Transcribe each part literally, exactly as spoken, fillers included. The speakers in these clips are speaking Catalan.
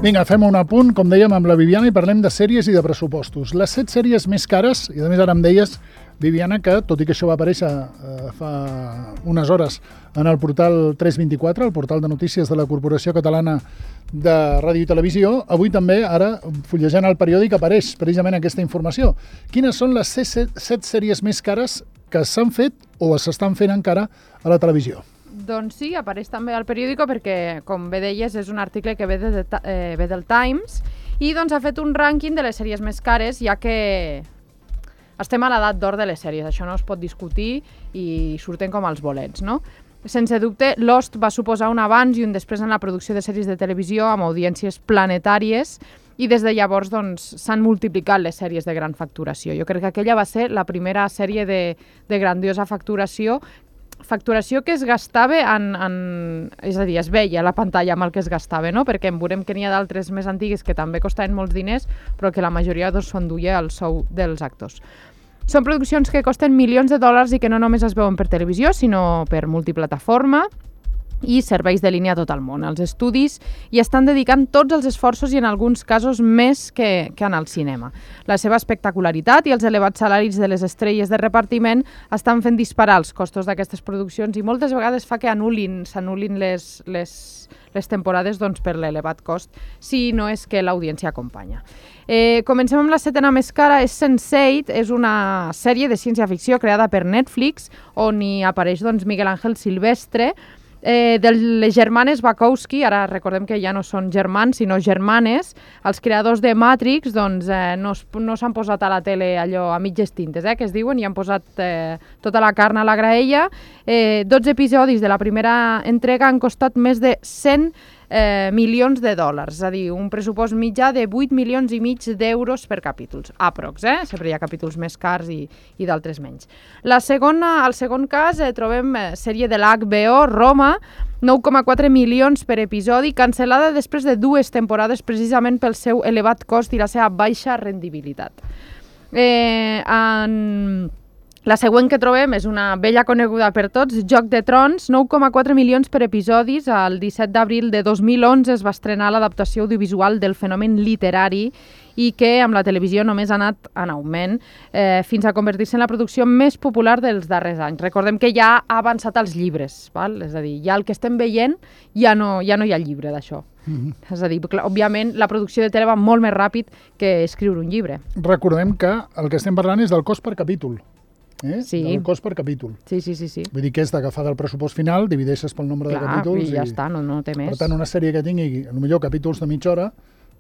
Vinga, fem un apunt, com dèiem, amb la Viviana i parlem de sèries i de pressupostos. Les set sèries més cares, i a més ara em deies, Viviana, que tot i que això va aparèixer eh, fa unes hores en el portal tres vint-i-quatre, el portal de notícies de la Corporació Catalana de Ràdio i Televisió, avui també, ara, fullejant el periòdic, apareix precisament aquesta informació. Quines són les set, set sèries més cares que s'han fet o s'estan fent encara a la televisió? Doncs sí, apareix també al periòdico perquè, com bé deies, és un article que ve, de, eh, ve del Times i doncs ha fet un rànquing de les sèries més cares, ja que estem a l'edat d'or de les sèries, això no es pot discutir i surten com els bolets, no? Sense dubte, Lost va suposar un abans i un després en la producció de sèries de televisió amb audiències planetàries i des de llavors doncs, s'han multiplicat les sèries de gran facturació. Jo crec que aquella va ser la primera sèrie de, de grandiosa facturació facturació que es gastava en, en... És a dir, es veia a la pantalla amb el que es gastava, no? Perquè en veurem que n'hi ha d'altres més antigues que també costaven molts diners, però que la majoria doncs, s'ho enduia el sou dels actors. Són produccions que costen milions de dòlars i que no només es veuen per televisió, sinó per multiplataforma i serveis de línia a tot el món. Els estudis hi estan dedicant tots els esforços i en alguns casos més que, que en el cinema. La seva espectacularitat i els elevats salaris de les estrelles de repartiment estan fent disparar els costos d'aquestes produccions i moltes vegades fa que anul·lin, s'anul·lin les, les, les temporades doncs, per l'elevat cost, si no és que l'audiència acompanya. Eh, comencem amb la setena més cara, és sense eight, és una sèrie de ciència-ficció creada per Netflix, on hi apareix doncs, Miguel Ángel Silvestre, Eh, de les germanes Wachowski, ara recordem que ja no són germans, sinó germanes, els creadors de Matrix doncs, eh, no, no s'han posat a la tele allò a mitges tintes, eh, que es diuen, i han posat eh, tota la carn a la graella. Eh, dotze episodis de la primera entrega han costat més de cent eh, milions de dòlars, és a dir, un pressupost mitjà de vuit milions i mig d'euros per capítols, aprox, eh? Sempre hi ha capítols més cars i, i d'altres menys. La segona, al segon cas eh, trobem eh, sèrie de l'H B O, Roma, nou coma quatre milions per episodi, cancel·lada després de dues temporades precisament pel seu elevat cost i la seva baixa rendibilitat. Eh, en... La següent que trobem és una vella coneguda per tots, Joc de Trons, nou coma quatre milions per episodis. El disset d'abril de dos mil onze es va estrenar l'adaptació audiovisual del fenomen literari i que amb la televisió només ha anat en augment eh, fins a convertir-se en la producció més popular dels darrers anys. Recordem que ja ha avançat als llibres, val? És a dir, ja el que estem veient ja no, ja no hi ha llibre d'això. Mm-hmm. És a dir, clar, òbviament la producció de tele va molt més ràpid que escriure un llibre. Recordem que el que estem parlant és del cost per capítol. Eh? Sí. Del cost per capítol. Sí, sí, sí, sí. Vull dir que és d'agafar del pressupost final, divideixes pel nombre Clar, de capítols i ja i... està, no, no té més. Per tant, una sèrie que tingui, potser capítols de mitja hora,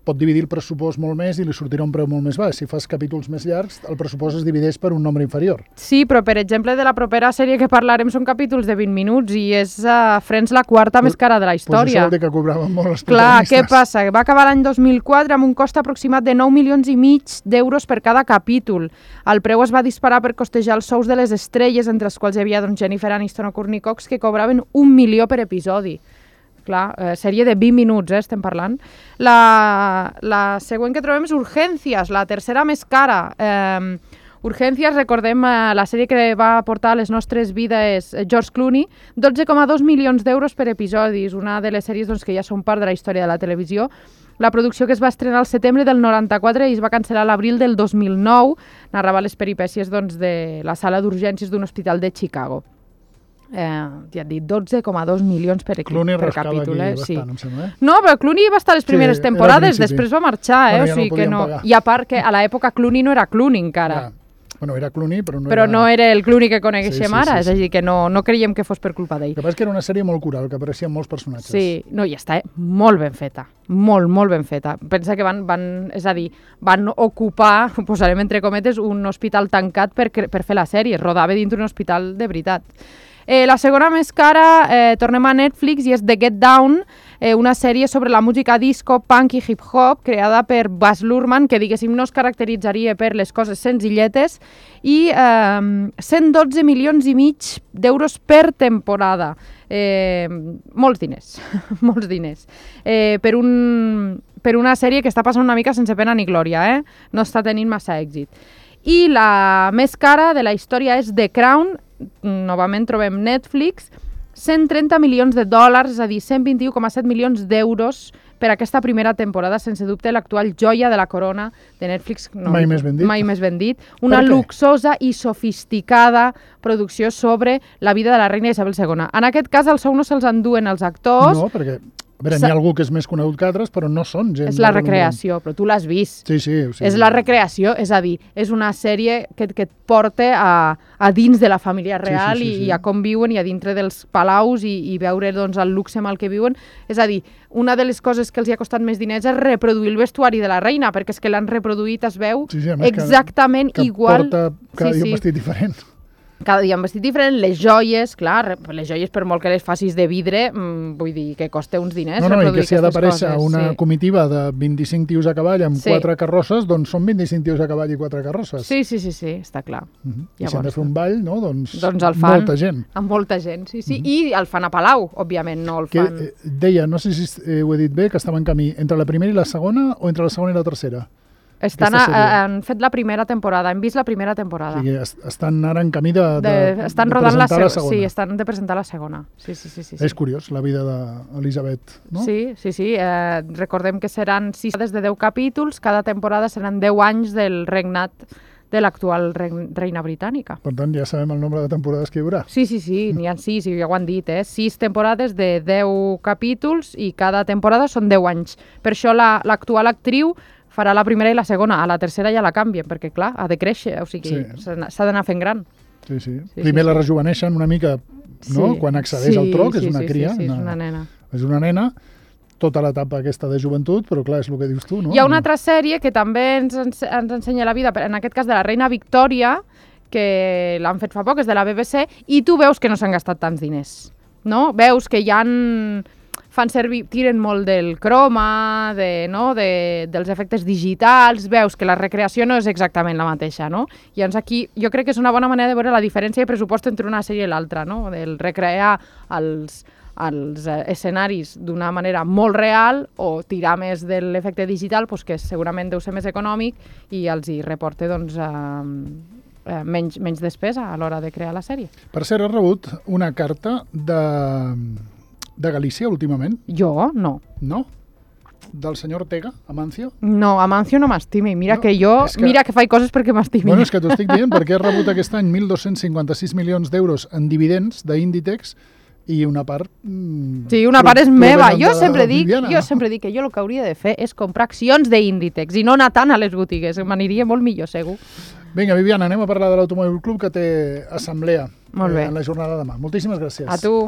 pot dividir el pressupost molt més i li sortirà un preu molt més baix. Si fas capítols més llargs, el pressupost es divideix per un nombre inferior. Sí, però per exemple de la propera sèrie que parlarem són capítols de vint minuts i és uh, Friends la quarta pues, més cara de la història. Pues això vol dir que cobraven molt els Clar, què passa? Va acabar l'any dos mil quatre amb un cost aproximat de nou milions i mig d'euros per cada capítol. El preu es va disparar per costejar els sous de les estrelles, entre els quals hi havia doncs, Jennifer Aniston o Courtney Cox, que cobraven un milió per episodi. Clar, eh, sèrie de vint minuts, eh, estem parlant. La, la següent que trobem és Urgències, la tercera més cara. Eh, Urgències, recordem eh, la sèrie que va portar a les nostres vides George Clooney, dotze coma dos milions d'euros per episodis, una de les sèries doncs, que ja són part de la història de la televisió. La producció que es va estrenar al setembre del noranta-quatre i es va cancel·lar a l'abril del dos mil nou, narrava les peripècies doncs, de la sala d'urgències d'un hospital de Chicago. Eh, ja et dic, dotze coma dos milions per, Clooney per capítol. Eh? Bastant, sí. em sembla, eh? No, però Clooney va estar les primeres sí, temporades, després va marxar. Eh? Bueno, o ja sigui no que no... pagar. I a part que a l'època Clooney no era Clooney encara. Ja. Bueno, era Clooney, però no però era... no era el Clooney que coneguem sí, sí, ara, sí, és a dir, que no, no creiem que fos per culpa d'ell. El que passa és que era una sèrie molt coral, que apareixien molts personatges. Sí, no, i està eh? molt ben feta, molt, molt ben feta. Pensa que van, van, és a dir, van ocupar, posarem entre cometes, un hospital tancat per, per fer la sèrie, rodava dintre un hospital de veritat. Eh, la segona més cara, eh, tornem a Netflix, i és The Get Down, eh, una sèrie sobre la música disco, punk i hip-hop, creada per Baz Luhrmann, que diguéssim no es caracteritzaria per les coses senzilletes, i eh, cent dotze milions i mig d'euros per temporada. Eh, molts diners, molts diners. Eh, per, un, per una sèrie que està passant una mica sense pena ni glòria, eh? No està tenint massa èxit. I la més cara de la història és The Crown, novament trobem Netflix, cent trenta milions de dòlars, és a dir, cent vint-i-u coma set milions d'euros per aquesta primera temporada, sense dubte l'actual joia de la corona de Netflix. No, mai més ben dit. Mai més ben dit. Una luxosa i sofisticada producció sobre la vida de la reina Isabel segona. En aquest cas, el sou no se'ls enduen els actors. No, perquè... A veure, n'hi ha algú que és més conegut que altres, però no són gent... És la recreació, però tu l'has vist. Sí, sí. O sigui... És la recreació, és a dir, és una sèrie que, que et porta a, a dins de la família real sí, sí, sí, sí. I, i a com viuen i a dintre dels palaus i, i veure doncs, el luxe amb el que viuen. És a dir, una de les coses que els hi ha costat més diners és reproduir el vestuari de la reina, perquè és que l'han reproduït, es veu, sí, sí, exactament que, que igual. Que porta cada sí, dia sí. un vestit diferent. Cada dia un vestit diferent, les joies, clar, les joies per molt que les facis de vidre, mmm, vull dir que costa uns diners. No, no, i que si ha d'aparèixer una sí. comitiva de vint-i-cinc tios a cavall amb sí. quatre carrosses, doncs són vint-i-cinc tios a cavall i quatre carrosses. Sí, sí, sí, sí, està clar. Uh-huh. I si han de fer un ball, no? Doncs, doncs el fan molta gent. Amb molta gent, sí, sí. Uh-huh. I el fan a Palau, òbviament, no el que, fan... Eh, deia, no sé si eh, ho he dit bé, que estava en camí entre la primera i la segona o entre la segona i la tercera? Estan a, han fet la primera temporada, hem vist la primera temporada. O sigui, est estan ara en camí de, de, de, estan de rodant presentar la, la segona. Sí, estan de presentar la segona. Sí, sí, sí, sí, sí. És curiós, la vida d'Elisabet, no? Sí, sí, sí. Eh, recordem que seran sis des de deu capítols, cada temporada seran deu anys del regnat de l'actual reina britànica. Per tant, ja sabem el nombre de temporades que hi haurà. Sí, sí, sí, n'hi ha sis, ja ho han dit, eh? Sis temporades de deu capítols i cada temporada són deu anys. Per això l'actual la, actriu farà la primera i la segona, a la tercera ja la canvien, perquè clar, ha de créixer, o sigui, s'ha sí. d'anar fent gran. Sí, sí. sí Primer sí, la rejuveneixen una mica, no? Sí. Quan accedeix sí, al tro, que sí, és una sí, cria. Sí, sí, una, és una nena. És una nena, tota l'etapa aquesta de joventut, però clar, és el que dius tu, no? Hi ha una altra sèrie que també ens, ens ensenya la vida, en aquest cas de la reina Victòria, que l'han fet fa poc, és de la B B C, i tu veus que no s'han gastat tants diners, no? Veus que hi han... fan servir, tiren molt del croma, de, no? de, dels efectes digitals, veus que la recreació no és exactament la mateixa, no? Llavors aquí jo crec que és una bona manera de veure la diferència de pressupost entre una sèrie i l'altra, no? Del recrear els, els escenaris d'una manera molt real o tirar més de l'efecte digital, doncs que segurament deu ser més econòmic i els hi reporta doncs, eh, eh, menys, menys despesa a l'hora de crear la sèrie. Per cert, has rebut una carta de... de Galícia, últimament? Jo, no. No? Del senyor Ortega, Amancio? No, Amancio no m'estimi. Mira no, que jo, que... mira que faig coses perquè m'estimi. Bueno, és que t'ho estic dient, perquè he rebut aquest any mil dos-cents cinquanta-sis milions d'euros en dividends d'Inditex i una part... Mmm, sí, una part és meva. Jo sempre, dic, jo sempre dic que jo el que hauria de fer és comprar accions d'Inditex i no anar tant a les botigues. M'aniria molt millor, segur. Vinga, Viviana, anem a parlar de l'Automòbil Club, que té assemblea molt bé. Eh, en la jornada de demà. Moltíssimes gràcies. A tu.